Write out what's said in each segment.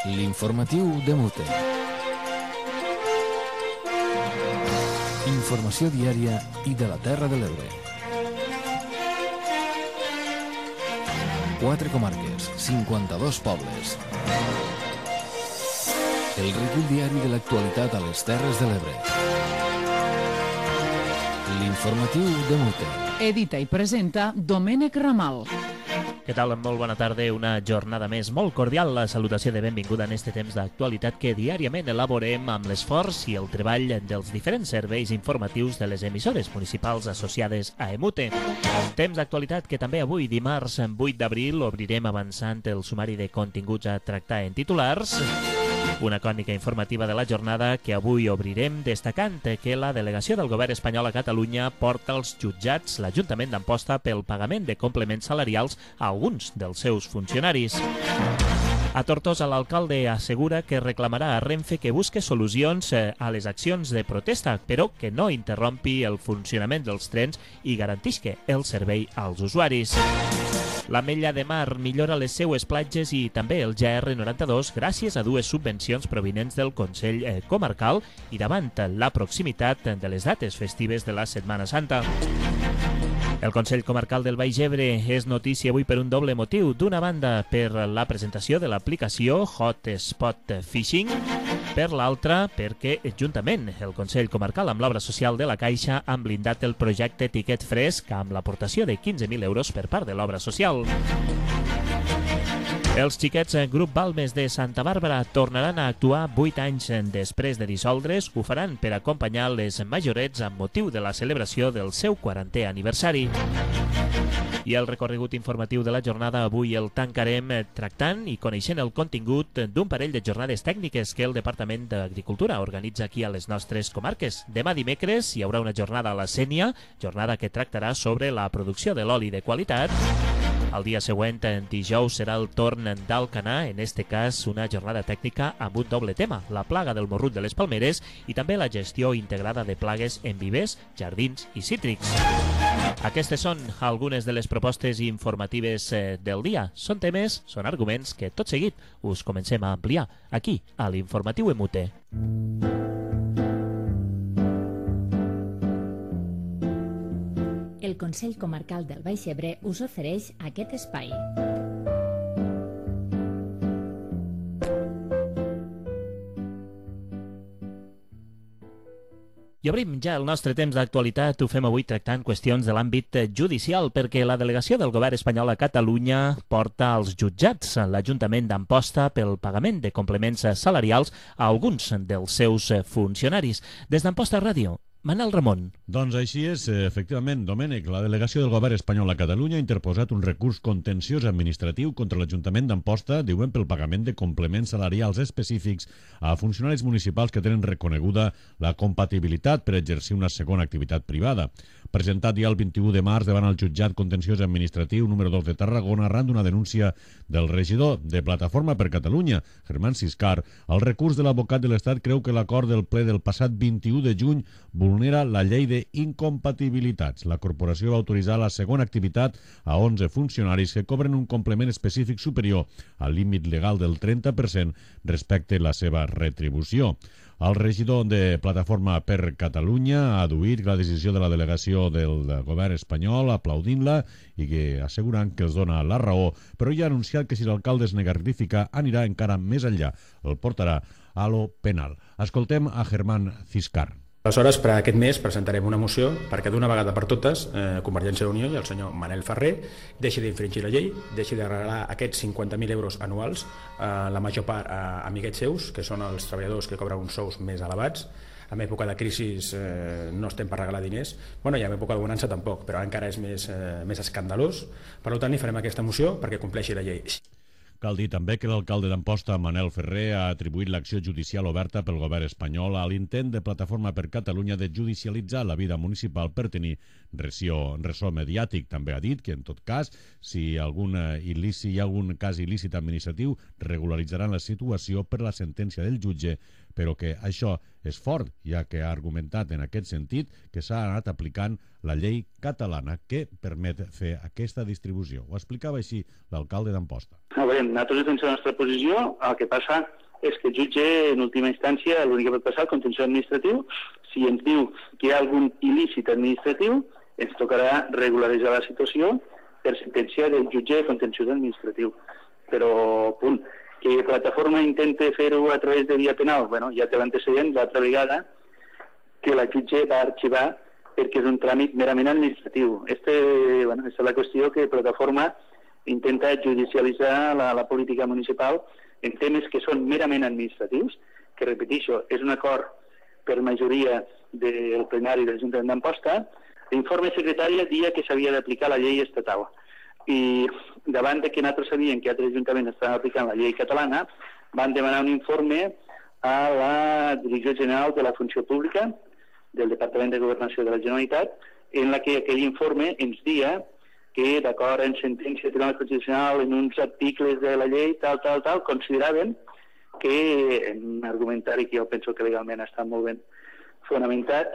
L'informatiu de Mute. Informació diària i de la Terra de l'Ebre. 4 comarques, 52 pobles. El recull diari de l'actualitat a les Terres de l'Ebre. L'informatiu de Mute. Edita i presenta Domènec Ramal. Què tal? Molt bona tarda. Una jornada més molt cordial. La salutació de benvinguda en este temps d'actualitat que diàriament elaborem amb l'esforç i el treball dels diferents serveis informatius de les emissores municipals associades a EMUTE. Temps d'actualitat que també avui, dimarts 8 d'abril, obrirem avançant el sumari de continguts a tractar en titulars. Una crònica informativa de la jornada que avui obrirem destacant que la delegació del govern espanyol a Catalunya porta als jutjats l'Ajuntament d'Amposta pel pagament de complements salarials a alguns dels seus funcionaris. A Tortosa, l'alcalde assegura que reclamarà a Renfe que busque solucions a les accions de protesta, però que no interrompi el funcionament dels trens i garantisca el servei als usuaris. L'Ametlla de Mar millora les seues platges i també el GR92 gràcies a dues subvencions provinents del Consell Comarcal i davant la proximitat de les dates festives de la Setmana Santa. El Consell Comarcal del Baix Ebre és notícia avui per un doble motiu. D'una banda, per la presentació de l'aplicació Hotspot Fishing, per l'altra, perquè juntament el Consell Comarcal amb l'obra social de la Caixa han blindat el projecte Tiquet Fresc amb l'aportació de 15.000 euros per part de l'obra social. Els xiquets Grup Balmes de Santa Bàrbara tornaran a actuar 8 anys després de dissoldre's. Ho faran per acompanyar les majorets amb motiu de la celebració del seu 40è aniversari. I el recorregut informatiu de la jornada avui el tancarem tractant i coneixent el contingut d'un parell de jornades tècniques que el Departament d'Agricultura organitza aquí a les nostres comarques. Demà dimecres hi haurà una jornada a la Sénia, jornada que tractarà sobre la producció de l'oli de qualitat. El dia següent, en dijous, serà el torn d'Alcanar, en este cas una jornada tècnica amb un doble tema, la plaga del morrut de les palmeres i també la gestió integrada de plagues en vivers, jardins i cítrics. Aquestes són algunes de les propostes informatives del dia. Són temes, són arguments que tot seguit us comencem a ampliar aquí, a l'Informatiu EMUTE. El Consell Comarcal del Baix Ebre us ofereix aquest espai. I obrim ja el nostre temps d'actualitat. Ho fem avui tractant qüestions de l'àmbit judicial perquè la delegació del govern espanyol a Catalunya porta als jutjats l'Ajuntament d'Amposta pel pagament de complements salarials a alguns dels seus funcionaris. Des d'Amposta Ràdio, Manel Ramon. Doncs així és, efectivament, Domènec. La delegació del govern espanyol a Catalunya ha interposat un recurs contenciós administratiu contra l'Ajuntament d'Amposta, diuen pel pagament de complements salarials específics a funcionaris municipals que tenen reconeguda la compatibilitat per exercir una segona activitat privada. Presentat ja el 21 de març davant el jutjat contenciós administratiu número 2 de Tarragona arran d'una denúncia del regidor de Plataforma per Catalunya, Germán Siscar, el recurs de l'advocat de l'Estat creu que l'acord del ple del passat 21 de juny vulnera la llei d'incompatibilitats. La corporació va autoritzar la segona activitat a 11 funcionaris que cobren un complement específic superior al límit legal del 30% respecte a la seva retribució. El regidor de Plataforma per Catalunya ha adduït la decisió de la delegació del govern espanyol aplaudint-la i que assegurant que els dona la raó, però ja ha anunciat que si l'alcalde es nega a rectificar anirà encara més enllà, el portarà a lo penal. Escoltem a Germán Siscar. Aleshores, per aquest mes presentarem una moció perquè d'una vegada per totes Convergència i Unió i el senyor Manel Ferrer deixi d'infringir la llei, deixi de regalar aquests 50.000 euros anuals, la major part a amiguets seus, que són els treballadors que cobren uns sous més elevats. En època de crisi no estem per regalar diners, bueno, i en època de bonança tampoc, però encara és més escandalós. Per tant, hi farem aquesta moció perquè compleixi la llei. Cal dir també que l'alcalde d'Amposta, Manel Ferrer, ha atribuït l'acció judicial oberta pel govern espanyol a l'intent de Plataforma per Catalunya de judicialitzar la vida municipal per tenir ressò mediàtic. També ha dit que, en tot cas, si hi ha algun cas il·lícit administratiu, regularitzaran la situació per la sentència del jutge però que això és fort, ja que ha argumentat en aquest sentit que s'ha anat aplicant la llei catalana que permet fer aquesta distribució. Ho explicava així l'alcalde d'Amposta. A veure, nosaltres defensem la nostra posició, el que passa és que el jutge, en última instància, l'únic que pot passar, el contenciós administratiu, si ens diu que hi ha algun il·lícit administratiu, ens tocarà regularitzar la situació per sentència del jutge de contenciós administratiu. Però, punt, que plataforma intenta fer-ho a través de via penal, bueno, ja té l'antecedent l'altra vegada que la jutge va arxivar perquè és un tràmit merament administratiu. Aquesta és la qüestió que plataforma intenta judicialitzar la política municipal en temes que són merament administratius, que, repeteixo, és un acord per majoria del plenari de l'Ajuntament d'Amposta. L'informe secretari dia que s'havia d'aplicar la llei estatal. I davant de que nosaltres sabíem que altres ajuntaments estaven aplicant la llei catalana, van demanar un informe a la Direcció General de la Funció Pública del Departament de Governació de la Generalitat, en la que aquell informe ens dia que, d'acord amb sentència del Tribunal Constitucional, en uns articles de la llei, tal, consideraven que, en un argumentari que jo penso que legalment està molt ben fonamentat,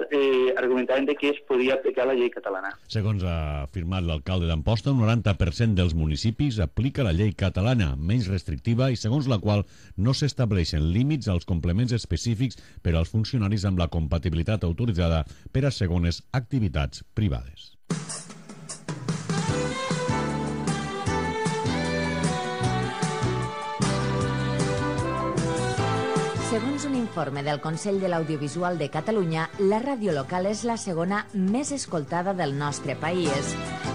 argumentaven que es podia aplicar la llei catalana. Segons ha afirmat l'alcalde d'Amposta, un 90% dels municipis aplica la llei catalana, menys restrictiva i segons la qual no s'estableixen límits als complements específics per als funcionaris amb la compatibilitat autoritzada per a segones activitats privades. Segons un informe del Consell de l'Audiovisual de Catalunya, la ràdio local és la segona més escoltada del nostre país.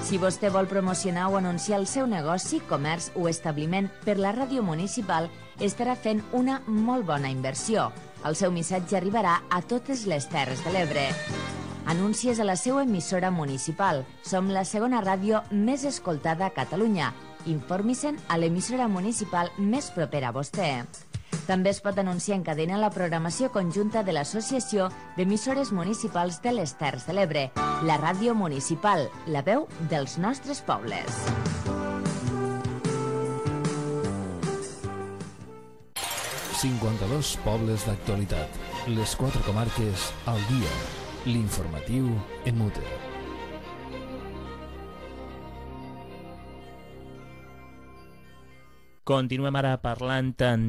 Si vostè vol promocionar o anunciar el seu negoci, comerç o establiment per la ràdio municipal, estarà fent una molt bona inversió. El seu missatge arribarà a totes les Terres de l'Ebre. Anuncies a la seva emissora municipal. Som la segona ràdio més escoltada a Catalunya. Informi-se'n a l'emissora municipal més propera a vostè. També es pot anunciar en cadena la programació conjunta de l'Associació d'Emissores Municipals de les Terres de l'Ebre, la ràdio municipal, la veu dels nostres pobles. ...52 pobles d'actualitat. Les 4 comarques al dia. L'informatiu en mute. Continuem ara parlant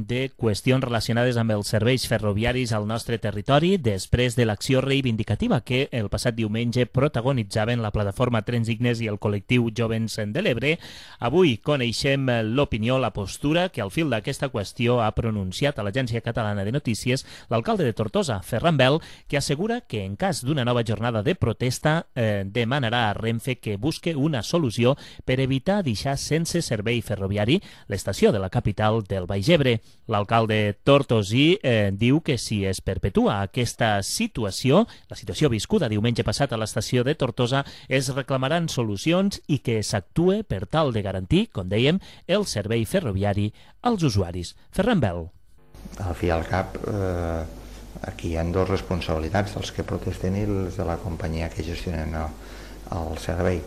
de qüestions relacionades amb els serveis ferroviaris al nostre territori després de l'acció reivindicativa que el passat diumenge protagonitzaven la plataforma Trens Dignes i el col·lectiu Jovens de l'Ebre. Avui coneixem l'opinió, la postura que al fil d'aquesta qüestió ha pronunciat a l'Agència Catalana de Notícies l'alcalde de Tortosa, Ferran Bel, que assegura que en cas d'una nova jornada de protesta demanarà a Renfe que busque una solució per evitar deixar sense servei ferroviari l'estació de la capital del Baix Ebre. L'alcalde tortosí diu que si es perpetua aquesta situació, la situació viscuda diumenge passat a l'estació de Tortosa, es reclamaran solucions i que s'actue per tal de garantir, com dèiem, el servei ferroviari als usuaris. Ferran Bel. Al fi i al cap, aquí hi ha dues responsabilitats, els que protesten i els de la companyia que gestionen el servei.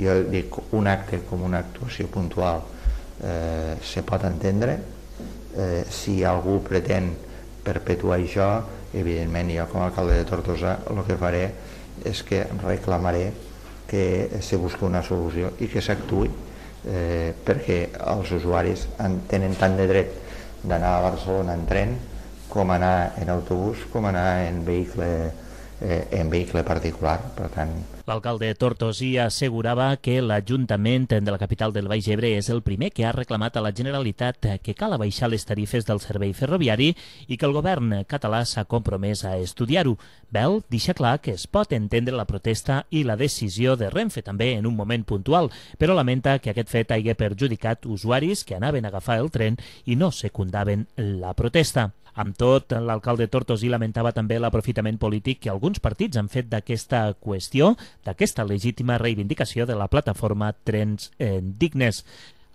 Jo dic, un acte com una actuació puntual se pot entendre. Si algú pretén perpetuar això, evidentment jo com a alcalde de Tortosa el que faré és que reclamaré que se busqui una solució i que s'actuï, perquè els usuaris tenen tant de dret d'anar a Barcelona en tren com anar en autobús, com anar en vehicle particular. Per tant, l'alcalde tortosí assegurava que l'Ajuntament de la capital del Baix Ebre és el primer que ha reclamat a la Generalitat que cal abaixar les tarifes del servei ferroviari i que el govern català s'ha compromès a estudiar-ho. Bel deixa clar que es pot entendre la protesta i la decisió de Renfe també en un moment puntual, però lamenta que aquest fet hagi perjudicat usuaris que anaven a agafar el tren i no secundaven la protesta. Amb tot, l'alcalde tortosí lamentava també l'aprofitament polític que alguns partits han fet d'aquesta qüestió, d'aquesta legítima reivindicació de la plataforma Trens Dignes.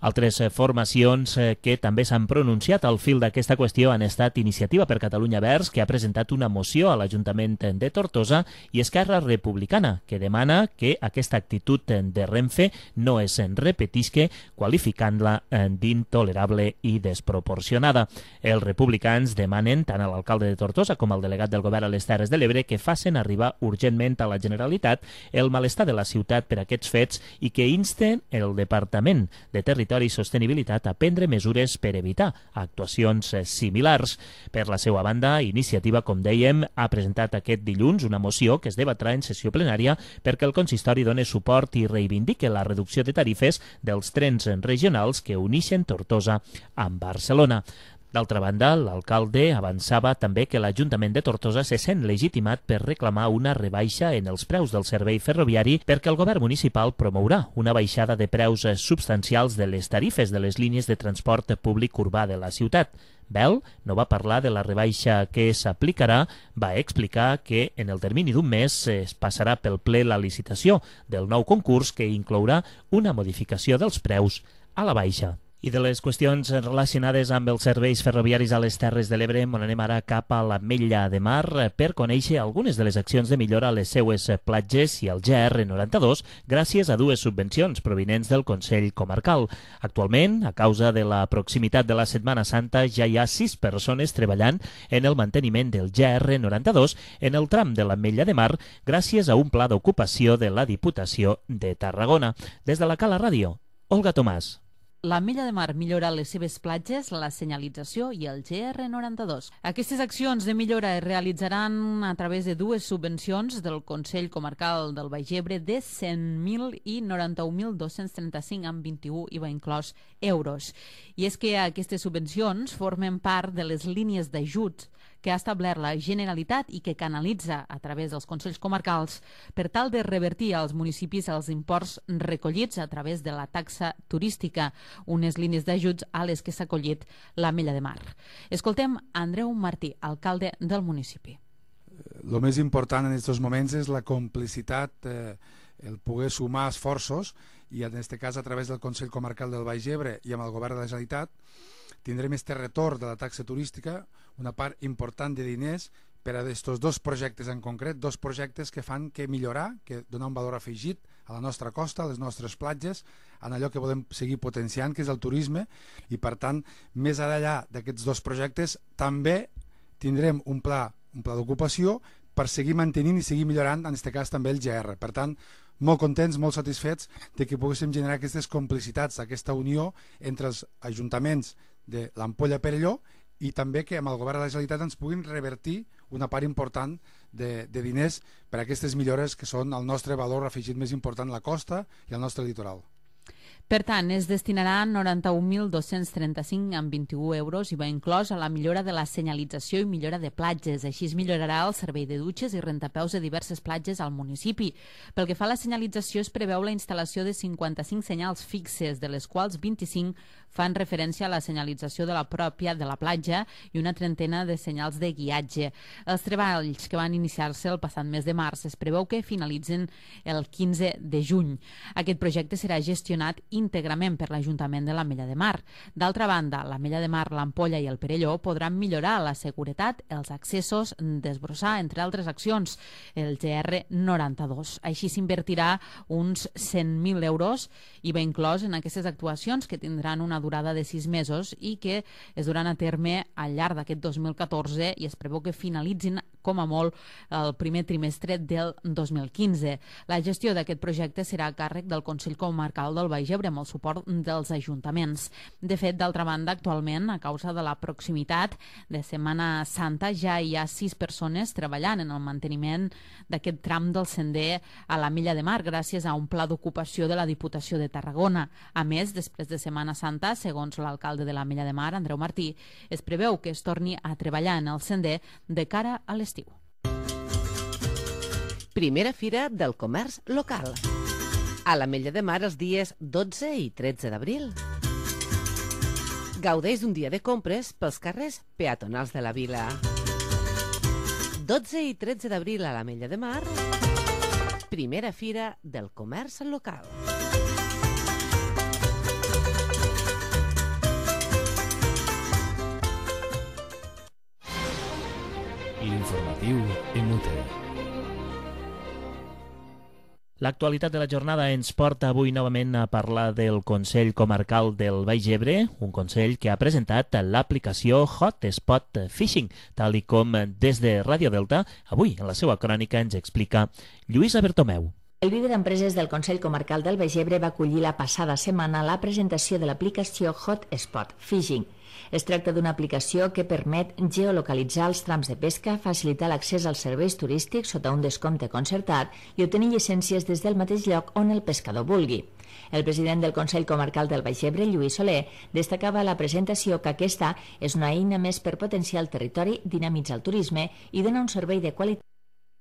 Altres formacions que també s'han pronunciat al fil d'aquesta qüestió han estat Iniciativa per Catalunya Verds, que ha presentat una moció a l'Ajuntament de Tortosa, i Esquerra Republicana, que demana que aquesta actitud de Renfe no es repetisca, qualificant-la d'intolerable i desproporcionada. Els republicans demanen tant a l'alcalde de Tortosa com al delegat del govern a les Terres de l'Ebre que facin arribar urgentment a la Generalitat el malestar de la ciutat per aquests fets i que insten el Departament de Territori i Sostenibilitat a prendre mesures per evitar actuacions similars. Per la seva banda, Iniciativa, com dèiem, ha presentat aquest dilluns una moció que es debatrà en sessió plenària perquè el consistori doni suport i reivindique la reducció de tarifes dels trens regionals que uneixen Tortosa amb Barcelona. D'altra banda, l'alcalde avançava també que l'Ajuntament de Tortosa se sent legitimat per reclamar una rebaixa en els preus del servei ferroviari perquè el govern municipal promourà una baixada de preus substancials de les tarifes de les línies de transport públic urbà de la ciutat. Bel no va parlar de la rebaixa que s'aplicarà, va explicar que en el termini d'un mes es passarà pel ple la licitació del nou concurs que inclourà una modificació dels preus a la baixa. I de les qüestions relacionades amb els serveis ferroviaris a les Terres de l'Ebre, on anem ara cap a l'Ametlla de Mar per conèixer algunes de les accions de millora a les seues platges i al GR92 gràcies a dues subvencions provinents del Consell Comarcal. Actualment, a causa de la proximitat de la Setmana Santa, ja hi ha 6 persones treballant en el manteniment del GR92 en el tram de l'Ametlla de Mar gràcies a un pla d'ocupació de la Diputació de Tarragona. Des de la Cala Ràdio, Olga Tomàs. L'Ametlla de Mar millora les seves platges, la senyalització i el GR92. Aquestes accions de millora es realitzaran a través de dues subvencions del Consell Comarcal del Baix Ebre de 100.000 i 91.235 amb 21 IVA inclòs euros. I és que aquestes subvencions formen part de les línies d'ajut que ha establert la Generalitat i que canalitza a través dels Consells Comarcals per tal de revertir als municipis els imports recollits a través de la taxa turística, unes línies d'ajuts a les que s'ha acollit l'Ametlla de Mar. Escoltem Andreu Martí, alcalde del municipi. El més important en aquests moments és la complicitat, el poder sumar esforços, i en aquest cas a través del Consell Comarcal del Baix Ebre i amb el Govern de la Generalitat tindrem este retorn de la taxa turística, una part important de diners per a aquests dos projectes en concret, dos projectes que fan que millorar, que donar un valor afegit a la nostra costa, a les nostres platges, en allò que volem seguir potenciant, que és el turisme, i per tant, més enllà d'aquests dos projectes, també tindrem un pla d'ocupació per seguir mantenint i seguir millorant, en aquest cas també el GR. Per tant, molt contents, molt satisfets de que poguéssim generar aquestes complicitats, aquesta unió entre els ajuntaments de l'Ampolla Perelló i també que amb el Govern de la Generalitat ens puguin revertir una part important de diners per a aquestes millores que són el nostre valor afegit més important, la costa i el nostre litoral. Per tant, es destinaran 91.235 amb 21 euros i va inclòs a la millora de la senyalització i millora de platges. Així es millorarà el servei de dutxes i rentapeus de diverses platges al municipi. Pel que fa a la senyalització, es preveu la instal·lació de 55 senyals fixes, de les quals 25 fan referència a la senyalització de la pròpia de la platja i una trentena de senyals de guiatge. Els treballs que van iniciar-se el passat mes de març es preveu que finalitzen el 15 de juny. Aquest projecte serà gestionat íntegrament per l'Ajuntament de l'Ametlla de Mar. D'altra banda, l'Ametlla de Mar, l'Ampolla i el Perelló podran millorar la seguretat, els accessos, desbrossar, entre altres accions, el GR92. Així s'invertirà uns 100.000 euros i va inclòs en aquestes actuacions que tindran una durada de 6 mesos i que es duran a terme al llarg d'aquest 2014 i es preveu que finalitzin com a molt el primer trimestre del 2015. La gestió d'aquest projecte serà a càrrec del Consell Comarcal del Baix Ebre amb el suport dels ajuntaments. De fet, d'altra banda, actualment, a causa de la proximitat de Setmana Santa, ja hi ha 6 persones treballant en el manteniment d'aquest tram del sender a l'Ametlla de Mar gràcies a un pla d'ocupació de la Diputació de Tarragona. A més, després de Setmana Santa, segons l'alcalde de l'Ametlla de Mar, Andreu Martí, es preveu que es torni a treballar en el sender de cara a l'estiu. Primera Fira del Comerç Local. A l'Ametlla de Mar els dies 12 i 13 d'abril. Gaudeix d'un dia de compres pels carrers peatonals de la vila. 12 i 13 d'abril a l'Ametlla de Mar, Primera Fira del Comerç Local. L'informatiu Emute. L'actualitat de la jornada ens porta avui novament a parlar del Consell Comarcal del Baix Ebre, un consell que ha presentat l'aplicació Hotspot Fishing, tal i com des de Ràdio Delta, avui en la seva crònica ens explica Lluïsa Bertomeu. El líder d'empreses del Consell Comarcal del Baix Ebre va acollir la passada setmana la presentació de l'aplicació Hotspot Fishing. Es tracta d'una aplicació que permet geolocalitzar els trams de pesca, facilitar l'accés als serveis turístics sota un descompte concertat i obtenir llicències des del mateix lloc on el pescador vulgui. El president del Consell Comarcal del Baix Ebre, Lluís Soler, destacava a la presentació que aquesta és una eina més per potenciar el territori, dinamitzar el turisme i donar un servei de qualitat.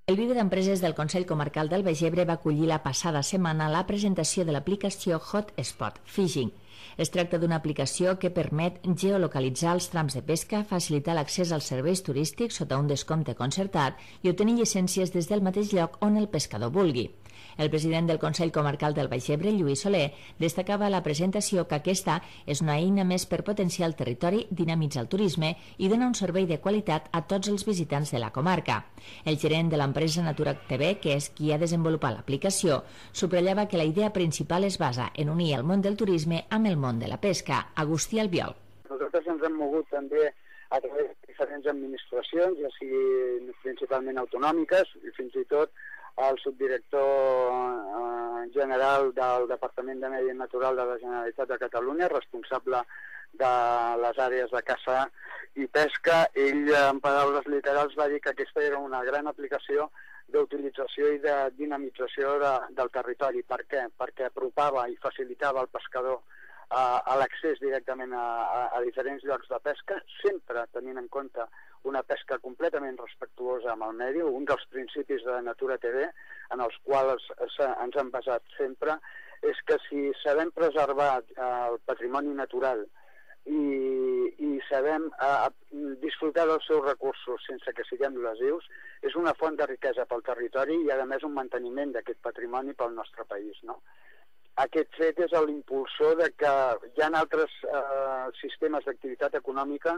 El líder d'empreses del Consell Comarcal del Baix Ebre va acollir la passada setmana la presentació de l'aplicació Hotspot Fishing. Es tracta d'una aplicació que permet geolocalitzar els trams de pesca, facilitar l'accés als serveis turístics sota un descompte concertat i obtenir llicències des del mateix lloc on el pescador vulgui. El president del Consell Comarcal del Baix Ebre, Lluís Soler, destacava a la presentació que aquesta és una eina més per potenciar el territori, dinamitzar el turisme i donar un servei de qualitat a tots els visitants de la comarca. El gerent de l'empresa Natura TV, que és qui ha desenvolupat l'aplicació, subratllava que la idea principal es basa en unir el món del turisme amb el món de la pesca. Agustí Albiol. Nosaltres ens hem mogut també a través de diferents administracions, ja sigui principalment autonòmiques i fins i tot el subdirector general del Departament de Medi Natural de la Generalitat de Catalunya, responsable de les àrees de caça i pesca. Ell, en paraules literals, va dir que aquesta era una gran aplicació d'utilització i de dinamització del territori. Per què? Perquè apropava i facilitava al pescador a l'accés directament a diferents llocs de pesca, sempre tenint en compte una pesca completament respectuosa amb el medi. Un dels principis de Natura TV, en els quals ens hem basat sempre, és que si sabem preservar el patrimoni natural i sabem disfrutar dels seus recursos sense que siguem lesius, és una font de riquesa pel territori i, a més, un manteniment d'aquest patrimoni pel nostre país, no? Aquest fet és l'impulsor de que hi ha altres sistemes d'activitat econòmica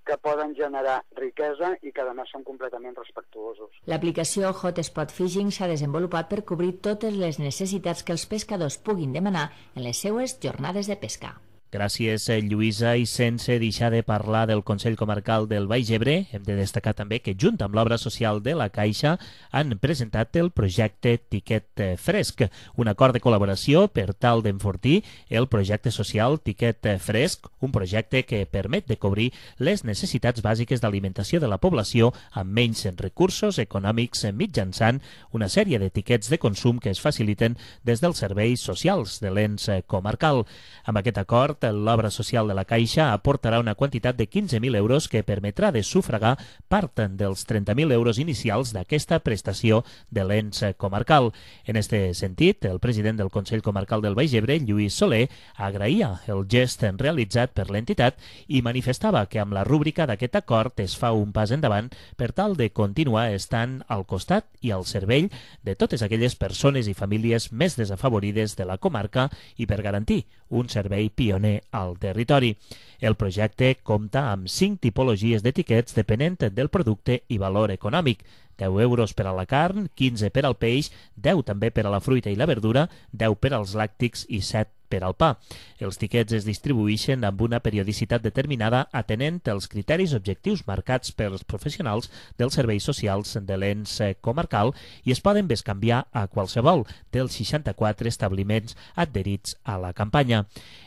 que poden generar riquesa i que, a més, són completament respectuosos. L'aplicació Hotspot Fishing s'ha desenvolupat per cobrir totes les necessitats que els pescadors puguin demanar en les seues jornades de pesca. Gràcies, Lluïsa, i sense deixar de parlar del Consell Comarcal del Baix Ebre, hem de destacar també que, junt amb l'obra social de la Caixa, han presentat el projecte Tiquet Fresc, un acord de col·laboració per tal d'enfortir el projecte social Tiquet Fresc, un projecte que permet de cobrir les necessitats bàsiques d'alimentació de la població amb menys recursos econòmics mitjançant una sèrie d'etiquets de consum que es faciliten des dels serveis socials de l'ens comarcal. Amb aquest acord, l'obra social de la Caixa aportarà una quantitat de 15.000 euros que permetrà de sufragar part dels 30.000 euros inicials d'aquesta prestació de l'ens comarcal. En aquest sentit, el president del Consell Comarcal del Baix Ebre, Lluís Soler, agraïa el gest realitzat per l'entitat i manifestava que amb la rúbrica d'aquest acord es fa un pas endavant per tal de continuar estant al costat i al servei de totes aquelles persones i famílies més desafavorides de la comarca i per garantir un servei pioner al territori. El projecte compta amb 5 tipologies d'etiquets depenent del producte i valor econòmic. 10 euros per a la carn, 15 per al peix, 10 també per a la fruita i la verdura, 10 per als làctics i 7 per al pa. Els tiquets es distribueixen amb una periodicitat determinada atenent els criteris objectius marcats pels professionals dels serveis socials de l'ens comarcal i es poden bescanviar a qualsevol dels 64 establiments adherits a la campanya.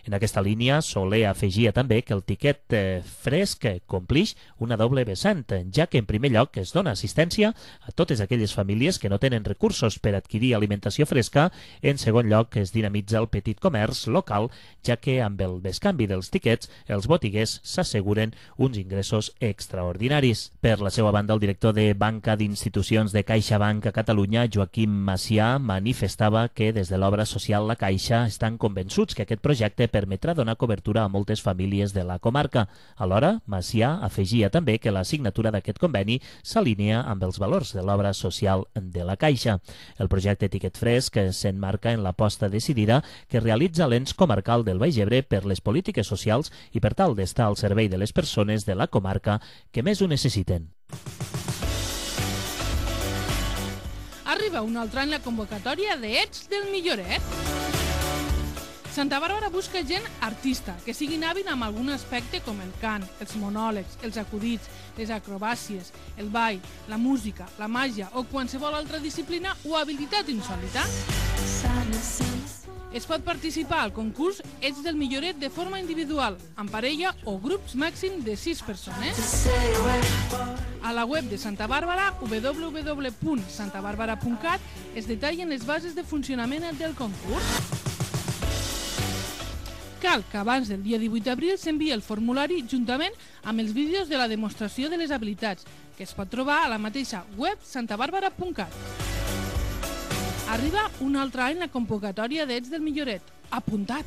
En aquesta línia, Soler afegia també que el tiquet fresc complix una doble vessant, ja que en primer lloc es dona assistència a totes aquelles famílies que no tenen recursos per adquirir alimentació fresca, en segon lloc es dinamitza el petit comerç local, ja que amb el bescanvi dels tiquets els botiguers s'asseguren uns ingressos extraordinaris. Per la seva banda, el director de Banca d'Institucions de CaixaBank a Catalunya, Joaquim Macià, manifestava que des de l'obra social La Caixa estan convençuts que aquest projecte permetrà donar cobertura a moltes famílies de la comarca. Alhora, Macià afegia també que la signatura d'aquest conveni s'alinea amb els valors de l'obra social de la Caixa. El projecte Tiquet Fresc s'emmarca en l'aposta decidida que realitza l'ens comarcal del Baix Ebre per les polítiques socials i per tal d'estar al servei de les persones de la comarca que més ho necessiten. arriba un altre any la convocatòria de Ets del Milloret. Santa Bàrbara busca gent artista, que siguin hàbil amb algun aspecte com el cant, els monòlegs, els acudits, les acrobàcies, el ball, la música, la màgia o qualsevol altra disciplina o habilitat insòlita. Es pot participar al concurs Ets del Milloret de forma individual, en parella o grups màxim de 6 persones. A la web de Santa Bàrbara, www.santabarbara.cat, es detallen les bases de funcionament del concurs. Cal que abans del dia 18 d'abril s'enviï el formulari juntament amb els vídeos de la demostració de les habilitats, que es pot trobar a la mateixa web santabarbara.cat. Arriba un altre any la convocatòria d'Ets del Milloret. Apuntat!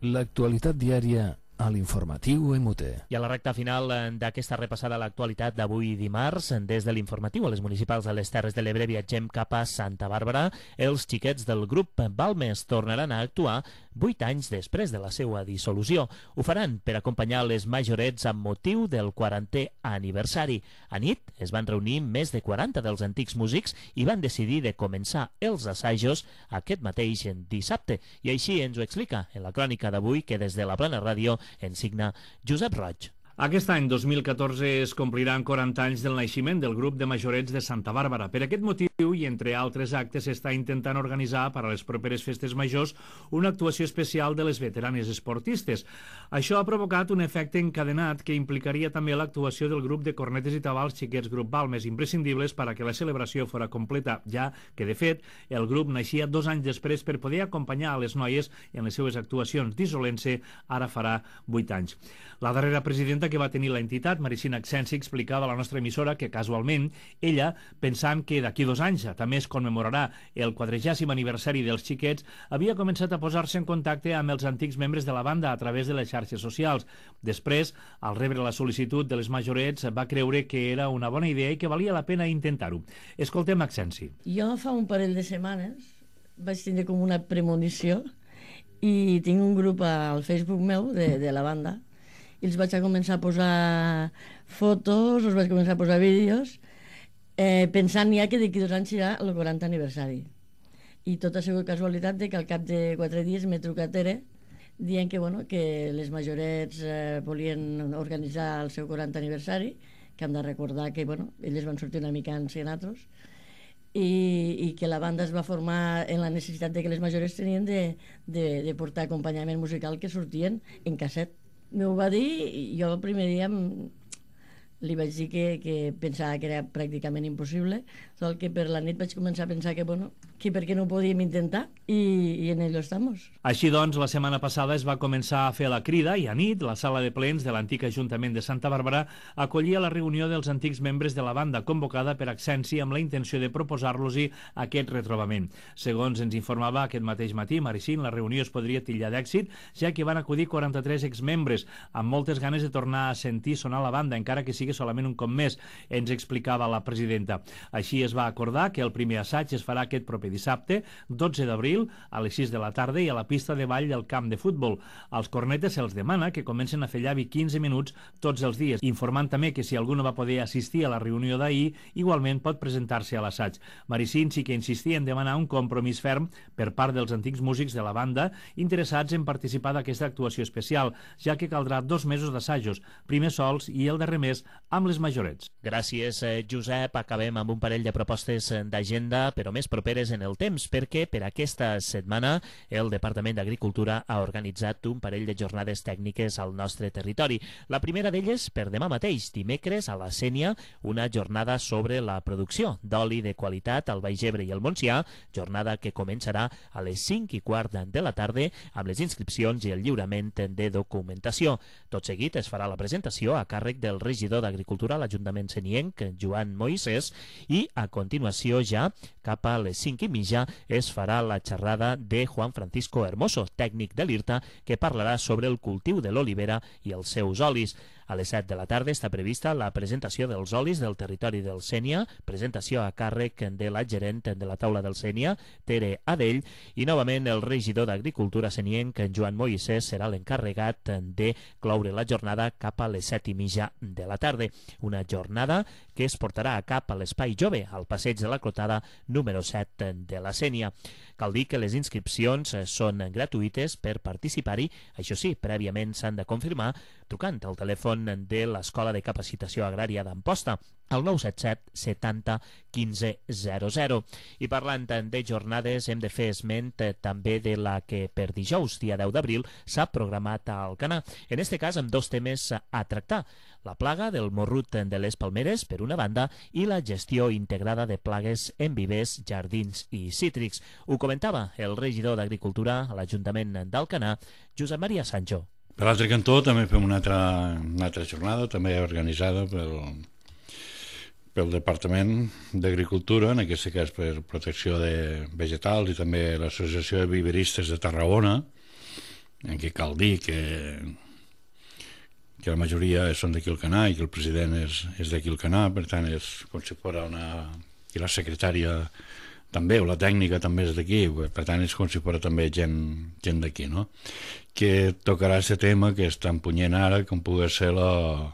L'actualitat diària a l'informatiu MUT. I a la recta final d'aquesta repassada a l'actualitat d'avui dimarts, des de l'informatiu a les municipals de les Terres de l'Ebre viatgem cap a Santa Bàrbara. Els xiquets del grup Balmes tornaran a actuar 8 anys després de la seva dissolució. Ho faran per acompanyar les majorets amb motiu del 40è aniversari. A nit es van reunir més de 40 dels antics músics i van decidir de començar els assajos aquest mateix dissabte. I així ens ho explica en la crònica d'avui que des de la Plana Ràdio en signa Josep Roig. Aquest any, 2014, es compliran 40 anys del naixement del grup de majorets de Santa Bàrbara. Per aquest motiu, i entre altres actes, s'està intentant organitzar per a les properes festes majors una actuació especial de les veteranes esportistes. Això ha provocat un efecte encadenat que implicaria també l'actuació del grup de cornetes i tabals xiquets Grup Balmes, imprescindibles per a que la celebració fora completa, ja que, de fet, el grup naixia 2 anys després per poder acompanyar a les noies en les seues actuacions, dissolent-se ara farà 8 anys. La darrera presidenta que va tenir l'entitat, Maricina Accensi, explicava a la nostra emissora que, casualment, ella, pensant que d'aquí 2 anys també es commemorarà el 40è aniversari dels xiquets, havia començat a posar-se en contacte amb els antics membres de la banda a través de les xarxes socials. Després, al rebre la sol·licitud de les majorets, va creure que era una bona idea i que valia la pena intentar-ho. Escoltem Accensi. Jo fa un parell de setmanes vaig tindre com una premonició i tinc un grup al Facebook meu de la banda i els vaig a començar a posar fotos, els vaig començar a posar vídeos, pensant ja que d'aquí 2 anys serà el 40 aniversari. I tot ha sigut casualitat de que al cap de 4 dies m'he trucat dient que, bueno, que les majorets volien organitzar el seu 40 aniversari, que hem de recordar que, bueno, elles van sortir una mica ancianatos, i que la banda es va formar en la necessitat de que les majorets tenien de portar acompanyament musical que sortien en casset. M'ho va dir i jo el primer dia li vaig dir que pensava que era pràcticament impossible, tot que per la nit vaig començar a pensar que, bueno, que per què no ho podíem intentar i en ello estamos. Així doncs, la setmana passada es va començar a fer la crida i a nit la sala de plens de l'antic Ajuntament de Santa Bàrbara acollia la reunió dels antics membres de la banda convocada per Accensi amb la intenció de proposar-los-hi aquest retrobament. Segons ens informava aquest mateix matí Maricín, la reunió es podria titllar d'èxit, ja que van acudir 43 exmembres amb moltes ganes de tornar a sentir sonar la banda, encara que sigui solament un cop més, ens explicava la presidenta. Així es va acordar que el primer assaig es farà aquest proper dissabte, 12 d'abril, a les 6 de la tarda i a la pista de ball del camp de futbol. Als cornetes se'ls demana que comencen a fer llavi 15 minuts tots els dies, informant també que si algú no va poder assistir a la reunió d'ahir, igualment pot presentar-se a l'assaig. Maricín sí que insistia en demanar un compromís ferm per part dels antics músics de la banda interessats en participar d'aquesta actuació especial, ja que caldrà 2 mesos d'assajos, primer sols i el darrer mes amb les majorets. Gràcies, Josep. Acabem amb un parell de propostes d'agenda, però més properes en el temps, perquè per aquesta setmana el Departament d'Agricultura ha organitzat un parell de jornades tècniques al nostre territori. La primera d'elles per demà mateix, dimecres, a la Sénia, una jornada sobre la producció d'oli de qualitat al Baix Ebre i el Montsià, jornada que començarà a les 5:15 de la tarda amb les inscripcions i el lliurament de documentació. Tot seguit es farà la presentació a càrrec del regidor d'Agricultura a l'Ajuntament senienc, Joan Moisés, i a continuació ja, cap a les 5:30, es farà la xerrada de Juan Francisco Hermoso, tècnic de l'IRTA, que parlarà sobre el cultiu de l'olivera i els seus olis. A les 7 de la tarda està prevista la presentació dels olis del territori del Sénia, presentació a càrrec de la gerent de la taula del Sénia, Tere Adell, i novament el regidor d'Agricultura senienc, Joan Moisés, serà l'encarregat de cloure la jornada cap a les 7:30 de la tarda. Una jornada que es portarà a cap a l'Espai Jove, al passeig de la Clotada número 7 de la Sénia. Cal dir que les inscripcions són gratuïtes per participar-hi, això sí, prèviament s'han de confirmar trucant al telèfon de l'Escola de Capacitació Agrària d'Amposta, al 977 70 15 00. I parlant de jornades, hem de fer esment també de la que per dijous, dia 10 d'abril, s'ha programat a Alcanar. En este cas, amb dos temes a tractar: la plaga del morrut de les palmeres, per una banda, i la gestió integrada de plagues en vivers, jardins i cítrics. Ho comentava el regidor d'Agricultura a l'Ajuntament d'Alcanar, Josep Maria Sancho. Per l'altre cantó també fem una altra jornada, també organitzada pel Departament d'Agricultura, en aquest cas per protecció de vegetals, i també l'Associació de Viveristes de Tarragona, en què cal dir que la majoria són d'aquí Alcanar i que el president és d'aquí Alcanar, per tant és com si fos i la secretària també, o la tècnica també és d'aquí, per tant és com si fos també gent d'aquí, no? Que tocarà aquest tema que és tan punyent ara com pugui ser el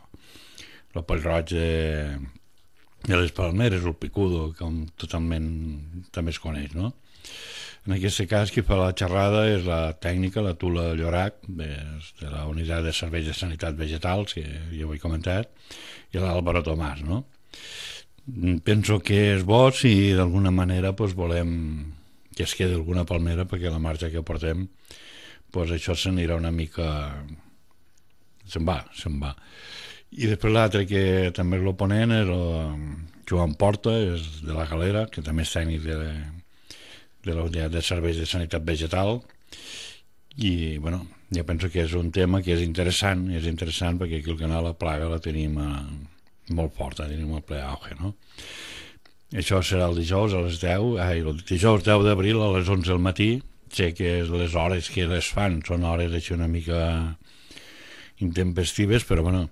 pell-roig de les palmeres, el picudo, com totalment també es coneix, no? En aquest cas, qui fa la xerrada és la tècnica, la Tula Llorac, de la Unitat de Serveis de Sanitat Vegetals, que ja ho he comentat, i l'Àlvaro Tomàs, no? Penso que és bo si d'alguna manera volem que es quedi alguna palmera, perquè la marxa que portem, això s'anirà una mica... se'n va. I després l'altre que també és l'oponent és el Joan Porta, és de la Galera, que també és tècnic de la Unitat de Serveis de Sanitat Vegetal, i bueno, jo penso que és un tema que és interessant perquè aquí al canal la plaga la tenim molt forta, tenim el ple auge, no? Això serà el dijous a les 10, el dijous 10 d'abril a les 11 del matí. Sé que les hores que les fan són hores així una mica intempestives, però bueno,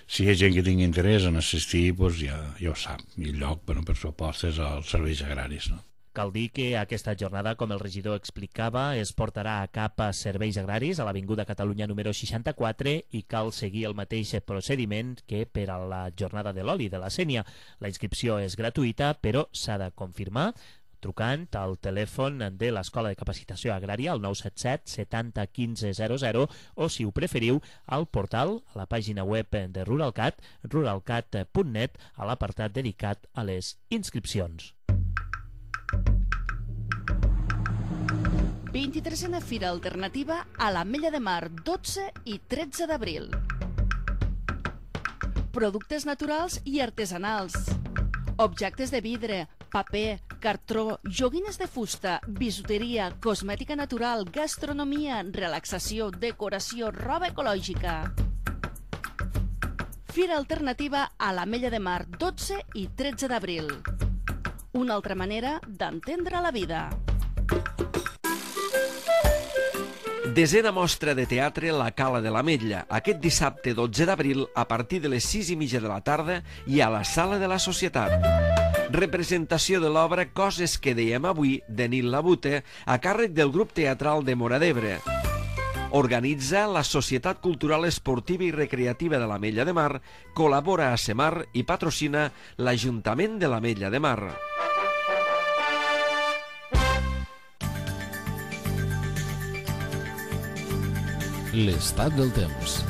si hi ha gent que tingui interès en assistir, ja ho sap, i el lloc, per supost, és als serveis agraris, no? Cal dir que aquesta jornada, com el regidor explicava, es portarà a cap a Serveis Agraris, a l'Avinguda Catalunya número 64, i cal seguir el mateix procediment que per a la jornada de l'oli de la Sénia. La inscripció és gratuïta, però s'ha de confirmar trucant al telèfon de l'Escola de Capacitació Agrària, al 977 70 15 00, o, si ho preferiu, al portal, a la pàgina web de Ruralcat, ruralcat.net, a l'apartat dedicat a les inscripcions. 23a Fira Alternativa a l'Ametlla de Mar, 12 i 13 d'abril. Productes naturals i artesanals, objectes de vidre, paper, cartró, joguines de fusta, bisuteria, cosmètica natural, gastronomia, relaxació, decoració, roba ecològica. Fira Alternativa a l'Ametlla de Mar, 12 i 13 d'abril. Una altra manera d'entendre la vida. Desena mostra de teatre La Cala de l'Ametlla, aquest dissabte 12 d'abril a partir de les 6:30 de la tarda i a la Sala de la Societat. Representació de l'obra Coses que dèiem avui, de Nil Labute, a càrrec del grup teatral de Móra d'Ebre. Organitza la Societat Cultural Esportiva i Recreativa de l'Ametlla de Mar, col·labora a Semar i patrocina l'Ajuntament de l'Ametlla de Mar. L'estat del temps.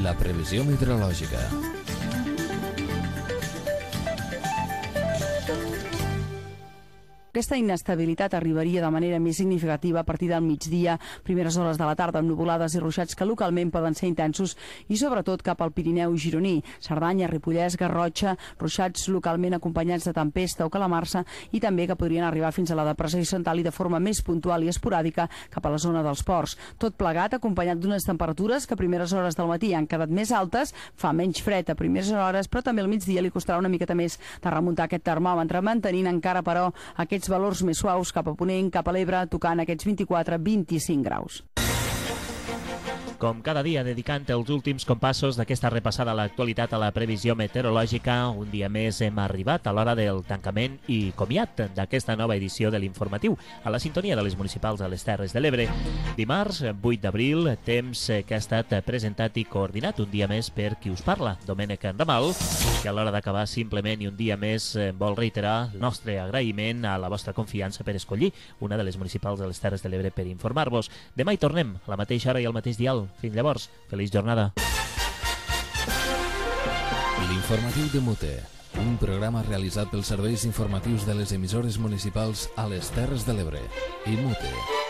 La previsió meteorològica. Aquesta inestabilitat arribaria de manera més significativa a partir del migdia, primeres hores de la tarda, amb nuvolades i ruixats que localment poden ser intensos i sobretot cap al Pirineu i Gironí, Cerdanya, Ripollès, Garrotxa, ruixats localment acompanyats de tempesta o calamarsa i també que podrien arribar fins a la depressió central i de forma més puntual i esporàdica cap a la zona dels ports. Tot plegat acompanyat d'unes temperatures que a primeres hores del matí han quedat més altes, fa menys fred a primeres hores, però també al migdia li costarà una miqueta més de remuntar aquest termòmetre, mantenint encara, però, aquests valors més suaus cap a Ponent, cap a l'Ebre, tocant aquests 24-25 graus. Com cada dia, dedicant els últims compassos d'aquesta repassada a l'actualitat a la previsió meteorològica, un dia més hem arribat a l'hora del tancament i comiat d'aquesta nova edició de l'informatiu, a la sintonia de les municipals a les Terres de l'Ebre. Dimarts, 8 d'abril, temps que ha estat presentat i coordinat un dia més per qui us parla, Domènec Ramal, que a l'hora d'acabar simplement i un dia més vol reiterar el nostre agraïment a la vostra confiança per escollir una de les municipals de les Terres de l'Ebre per informar-vos. Demà hi tornem, a la mateixa hora i al mateix dial. Fins llavors, feliç jornada. L'informatiu de Mute, un programa realitzat pels serveis informatius de les emissores municipals a les Terres de l'Ebre i Mute.